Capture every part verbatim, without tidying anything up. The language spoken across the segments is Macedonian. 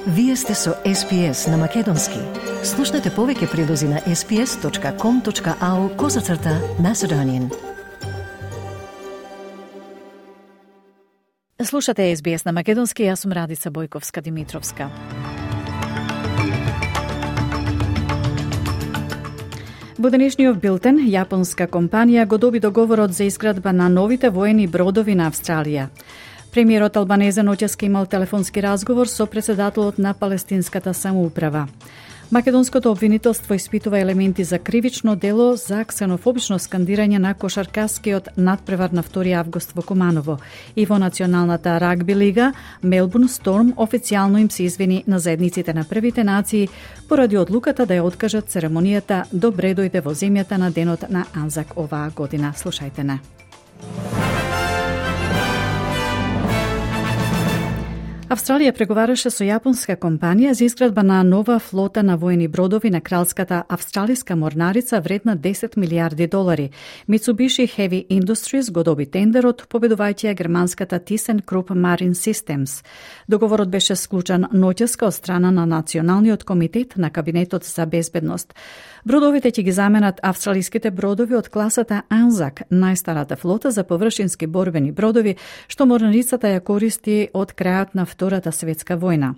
Вие сте со Ес Пи Ес на Македонски. Слушнете повеќе прилози на ес пи ес точка ком точка ау козацрта Macedonian. Слушате Ес Би Ес на Македонски, јас сум Радица Бојковска-Димитровска. Во денешниот билтен, јапонска компанија го доби договорот за изградба на новите воени бродови на Австралија. Премиерот Албанезе ноќес имал телефонски разговор со председателот на палестинската самоуправа. Македонското обвинителство испитува елементи за кривично дело за ксенофобично скандирање на кошаркаскиот надпревар на втори август во Куманово. И во националната рагби лига, Мелбурн Сторм официјално им се извини на заедниците на првите нации поради одлуката да ја откажат церемонијата Добре дојде во земјата на денот на Анзак оваа година. Слушајте не. Австралија преговараше со јапонска компанија за изградба на нова флота на воени бродови на кралската австралиска морнарица вредна десет милијарди долари. Mitsubishi Heavy Industries го доби тендерот, победувајќи ја германската ThyssenKrupp Marine Systems. Договорот беше склучен ноќеска од страна на Националниот комитет на Кабинетот за безбедност. Бродовите ќе ги заменат австралиските бродови од класата Анзак, најстарата флота за површински борбени бродови, што морнарицата ја користи од крајот на Втората светска војна.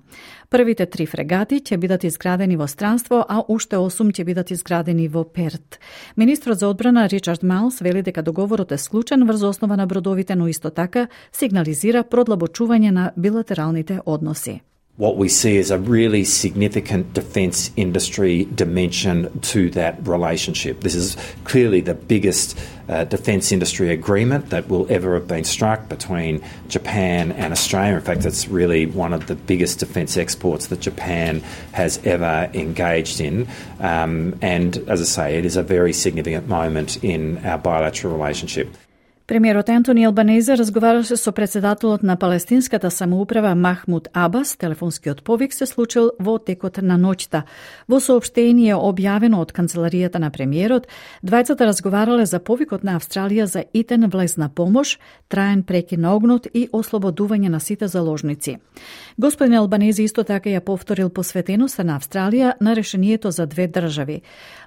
Првите три фрегати ќе бидат изградени во странство, а уште осум ќе бидат изградени во Перт. Министрот за одбрана Ричард Мајлс вели дека договорот е склучен врз основа на бродовите, но исто така сигнализира продлабочување на билатералните односи. What we see is a really significant defence industry dimension to that relationship. This is clearly the biggest uh, defence industry agreement that will ever have been struck between Japan and Australia. In fact, it's really one of the biggest defence exports that Japan has ever engaged in. Um, and as I say, it is a very significant moment in our bilateral relationship. Премиерот Ентони Албанезе разговараше со председателот на палестинската самоуправа Махмуд Абас. Телефонскиот повик се случил во текот на ноќта. Во соопштение објавено од канцеларијата на премиерот, двајцата разговарале за повикот на Австралија за итен влезна помош, траен прекин на огнот и ослободување на сите заложници. Господин Албанезе исто така ја повторил посветеноста на Австралија на решението за две држави.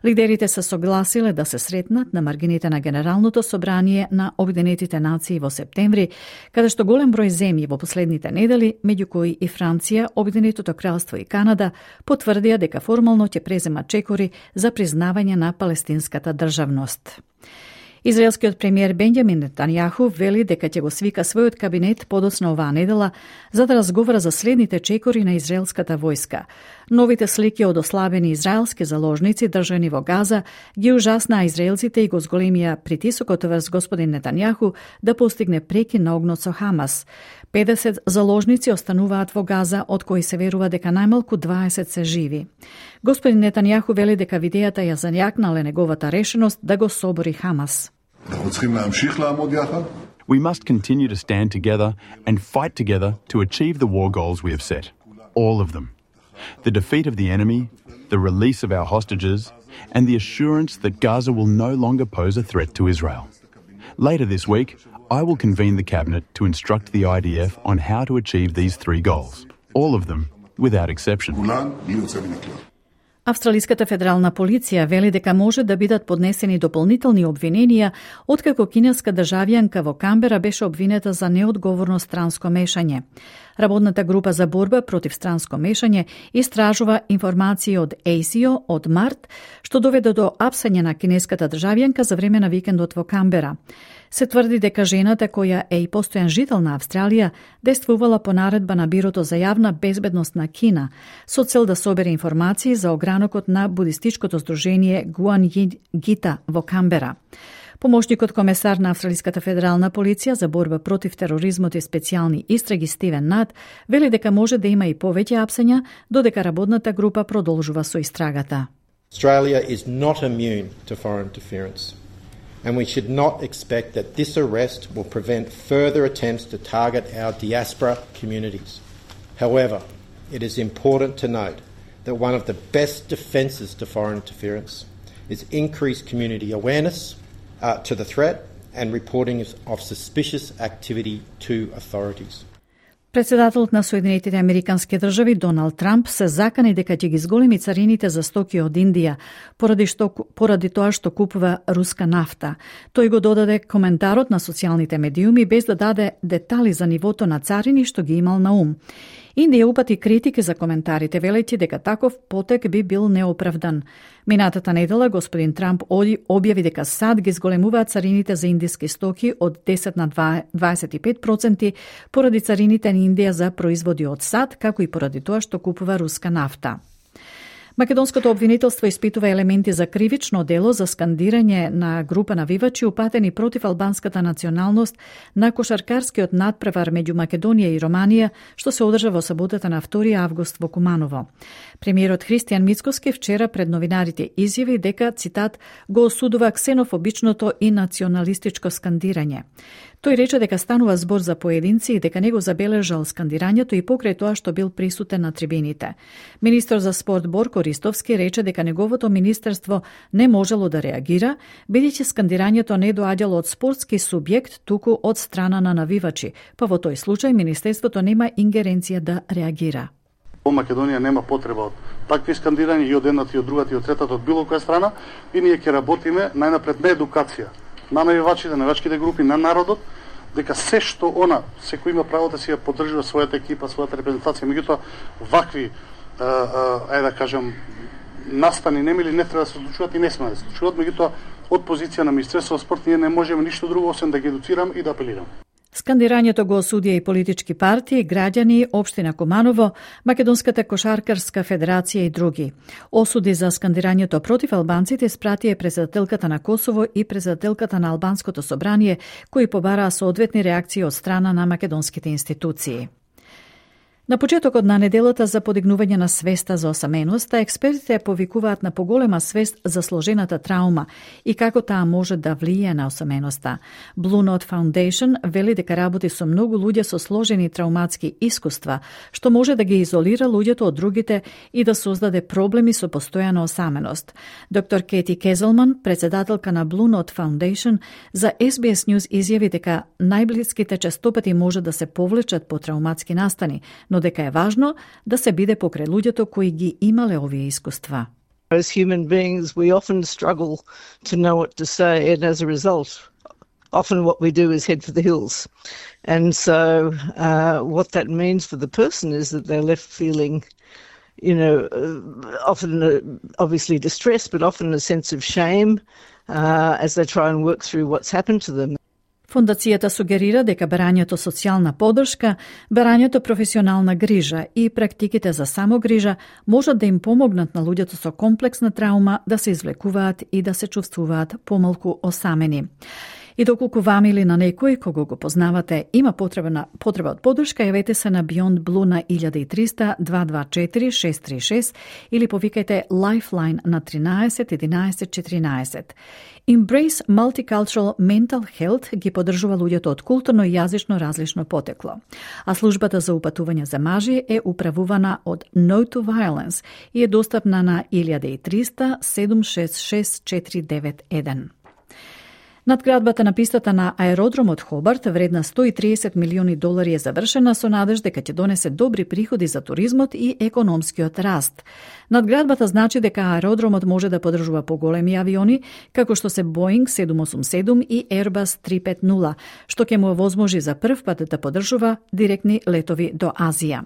Лидерите се согласиле да се сретнат на маргините на Генералното собрание на Обединетите нации во септември, каде што голем број земји во последните недели, меѓу кои и Франција, Обединетото кралство и Канада, потврдија дека формално ќе преземат чекори за признавање на палестинската државност. Израелскиот премиер Бенјамин Нетањаху вели дека ќе го свика својот кабинет подоцна оваа недела за да разговара за следните чекори на израелската војска. Новите слики од ослабени израелски заложници држани во Газа ги ужаснаа израелците и го зголемија притисокот врз господин Нетањаху да постигне прекин на огнот со Хамас. педесет заложници остануваат во Газа, од кои се верува дека најмалку дваесет се живи. Господин Нетањаху вели дека видејата ја зањакнале неговата решеност да го собори Хамас. We must continue to stand together and fight together to achieve the war goals we have set. All of them. The defeat of the enemy, the release of our hostages, and the assurance that Gaza will no longer pose a threat to Israel. Later this week, I will convene the cabinet to instruct the I D F on how to achieve these three goals. All of them, without exception. Австралиската федерална полиција вели дека може да бидат поднесени дополнителни обвиненија откако кинеска државјанка во Камбера беше обвинета за неодговорно странско мешање. Работната група за борба против странско мешање истражува информации од Ей Си О од март, што доведе до апсање на кинеската државјанка за време на викендот во Камбера. Се тврди дека жената, која е и постојан жител на Австралија, действувала по наредба на Бирото за јавна безбедност на Кина, со цел да собере информации за огранокот на будистичкото здружение Гуан Гита во Камбера. Помошникот комесар на Австралиската федерална полиција за борба против тероризмот и специјални истраги Стивен Нат вели дека може да има и повеќе апсања, додека работната група продолжува со истрагата. Australia is not immune to foreign interference. And we should not expect that this arrest will prevent further attempts to target our diaspora communities. However, it is important to note that one of the best defences to foreign interference is increased community awareness uh, to the threat and reporting of suspicious activity to authorities. Председателот на Соединетите Американски држави Доналд Трамп се закани дека ќе ги зголеми царините за стоки од Индија поради што поради тоа што купува руска нафта. Тој го додаде коментарот на социјалните медиуми без да даде детали за нивото на царини што ги имал на ум. Индија упати критики за коментарите, велејќи дека таков потек би бил неоправдан. Минатата недела господин Трамп објави дека САД ги зголемуваат царините за индиски стоки од десет на дваесет и пет проценти поради царините на Индија за производи од САД, како и поради тоа што купува руска нафта. Македонското обвинителство испитува елементи за кривично дело за скандирање на група навивачи упатени против албанската националност на кошаркарскиот надпревар меѓу Македонија и Романија, што се одржа во саботата на втори август во Куманово. Премиерот Христијан Мицкоски вчера пред новинарите изјави дека, цитат, го осудува ксенофобичното и националистичко скандирање. Тој рече дека станува збор за поединци и дека не го забележал скандирањето и покрај тоа што бил присутен на трибините. Министер за спорт Борко Ристовски рече дека неговото министерство не можело да реагира, бидејќи скандирањето не доаѓало од спортски субјект, туку од страна на навивачи, па во тој случај министерството нема ингеренција да реагира. Во Македонија нема потреба од такви скандирања и од едната и од другата и од третата од било која страна, и ние ќе работиме најнапред на едукација на навивачите, на навивачките групи, на народот, дека се што она, секој има право да си ја поддржува својата екипа, својата репрезентација, меѓутоа вакви, ајде да кажам, настани немили не треба да се случуваат и не сме да се случуваат, меѓутоа од позиција на Министерството за спорт ние не можеме ништо друго освен да ги едуцирам и да апелирам. Скандирањето го осудија и политички партии, граѓани, општина Куманово, Македонската кошаркарска федерација и други. Осуди за скандирањето против албанците спратија председателката на Косово и председателката на Албанското собрание, кои побараа соодветни реакции од страна на македонските институции. На почетокот на неделата за подигнување на свеста за осаменоста, експертите повикуваат на поголема свест за сложената траума и како таа може да влијае на осаменоста. Blue Note Foundation вели дека работи со многу луѓе со сложени трауматски искуства, што може да ги изолира луѓето од другите и да создаде проблеми со постојана осаменост. Доктор Кети Кезелман, председателка на Blue Note Foundation, за Ес Би Ес News изјави дека најблиските честопати може да се повлечат по трауматски настани, но дека е важно да се биде покрај луѓето кои ги имале овие искуства. As human beings, we often struggle to know what to say, and as a result, often what we do is head for the hills. And so uh, what that means for the person is that they're left feeling, you know, uh, often uh, obviously distressed, but often a sense of shame uh, as they try and work through what's happened to them. Фондацијата сугерира дека барањето социјална поддршка, барањето професионална грижа и практиките за самогрижа можат да им помогнат на луѓето со комплексна траума да се извлекуваат и да се чувствуваат помалку осамени. И доколку вам или на некој кого го познавате има потреба на потреба од поддршка, јавете се на Beyond Blue на еден три нолу нолу два два четири шест три шест или повикајте Lifeline на тринаесет единаесет четиринаесет. Embrace Multicultural Mental Health ги поддржува луѓето од културно и јазично различно потекло, а службата за упатување за мажи е управувана од No to Violence и е достапна на еден три нолу нолу седум шест шест четири девет еден. Надградбата на пистата на аеродромот Хобарт, вредна сто и триесет милиони долари, е завршена со надеж дека ќе донесе добри приходи за туризмот и економскиот раст. Надградбата значи дека аеродромот може да поддржува поголеми авиони, како што се Боинг седум осум седум и Airbus три пет нула, што ќе му овозможи за прв пат да поддржува директни летови до Азија.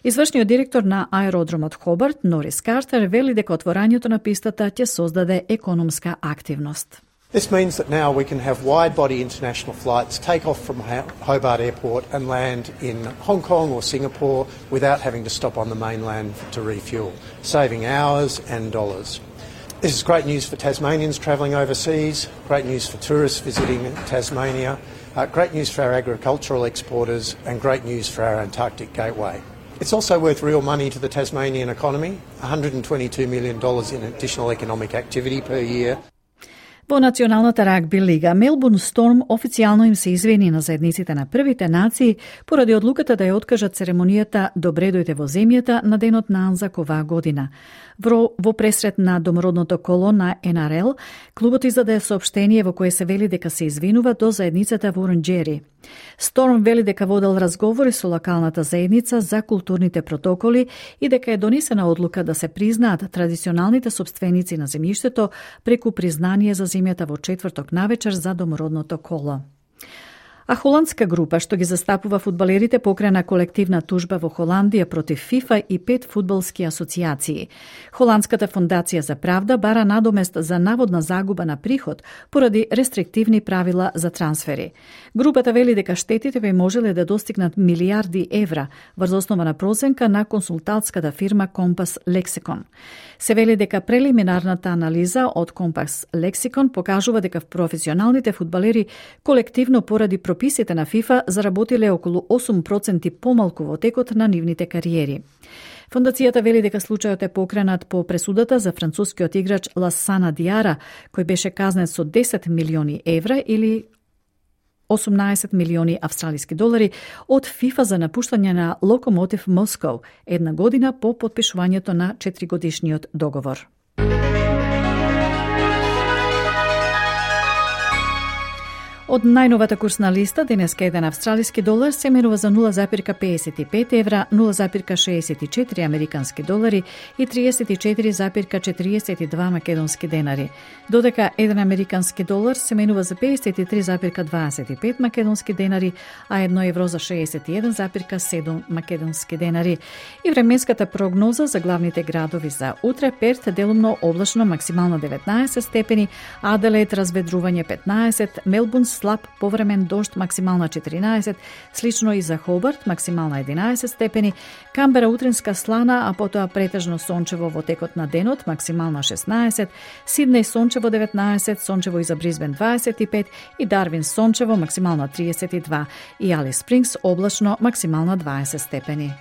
Извршниот директор на аеродромот Хобарт, Норис Картер, вели дека отворањето на пистата ќе создаде економска активност. This means that now we can have wide-body international flights take off from Hobart Airport and land in Hong Kong or Singapore without having to stop on the mainland to refuel, saving hours and dollars. This is great news for Tasmanians travelling overseas, great news for tourists visiting Tasmania, uh, great news for our agricultural exporters and great news for our Antarctic gateway. It's also worth real money to the Tasmanian economy, one hundred twenty-two million dollars in additional economic activity per year. Во Националната рагби лига Мелбурн Сторм официјално им се извини на заедниците на првите нации поради одлуката да ја откажат церемонијата Добре дојде во земјата на денот на Анзак оваа година. Во, во пресрет на домородното коло на Ен Ар Ел, клубот издаде соопштение во кое се вели дека се извинува до заедницата во Оранџери. Сторм вели дека водел разговори со локалната заедница за културните протоколи и дека е донесена одлука да се признаат традиционалните сопственици на земјиштето преку признание за земјата во четврток навечер за домородното коло. А холандска група што ги застапува фудбалерите покрена колективна тужба во Холандија против ФИФА и пет фудбалски асоциации. Холандската фондација за правда бара надомест за наводна загуба на приход поради рестриктивни правила за трансфери. Групата вели дека штетите би можеле да достигнат милиарди евра врз основа на проценка на консултантската фирма Компас Лексикон. Се вели дека прелиминарната анализа од Компас Лексикон покажува дека професионалните фудбалери колективно поради прописите на ФИФА заработиле околу осум проценти помалку во текот на нивните кариери. Фондацијата вели дека случајот е покренат по пресудата за францускиот играч Ласана Диара, кој беше казнет со десет милиони евра или осумнаесет милиони австралиски долари од ФИФА за напуштање на Локомотив Москов една година по потпишувањето на четиригодишниот договор. Од најновата курсна листа, денеска еден австралиски долар се менува за нула запирка педесет и пет евра, нула запирка шеесет и четири американски долари и триесет и четири запирка четириесет и два македонски денари. Додека еден американски долар се менува за педесет и три запирка дваесет и пет македонски денари, а едно евро за шеесет и еден запирка седум македонски денари. И временската прогноза за главните градови за утре: Перт делумно облачно, максимално деветнаесет степени, Аделаид разведрување петнаесет, Мелбурн слаб повремен дожд, максимална четиринаесет, слично и за Хобарт, максимална единаесет степени, Камбера утринска слана, а потоа претежно сончево во текот на денот, максимална шеснаесет, Сиднеј сончево деветнаесет, сончево и за Брисбен дваесет и пет и Дарвин сончево, максимална триесет и два и Алис Спрингс облачно, максимална дваесет степени.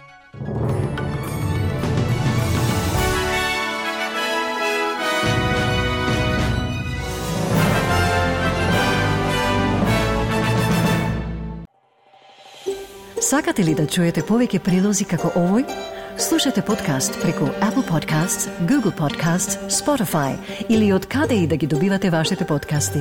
Сакате ли да чуете повеќе прилози како овој? Слушате подкаст преку Apple Podcasts, Google Podcasts, Spotify или од каде и да ги добивате вашите подкасти.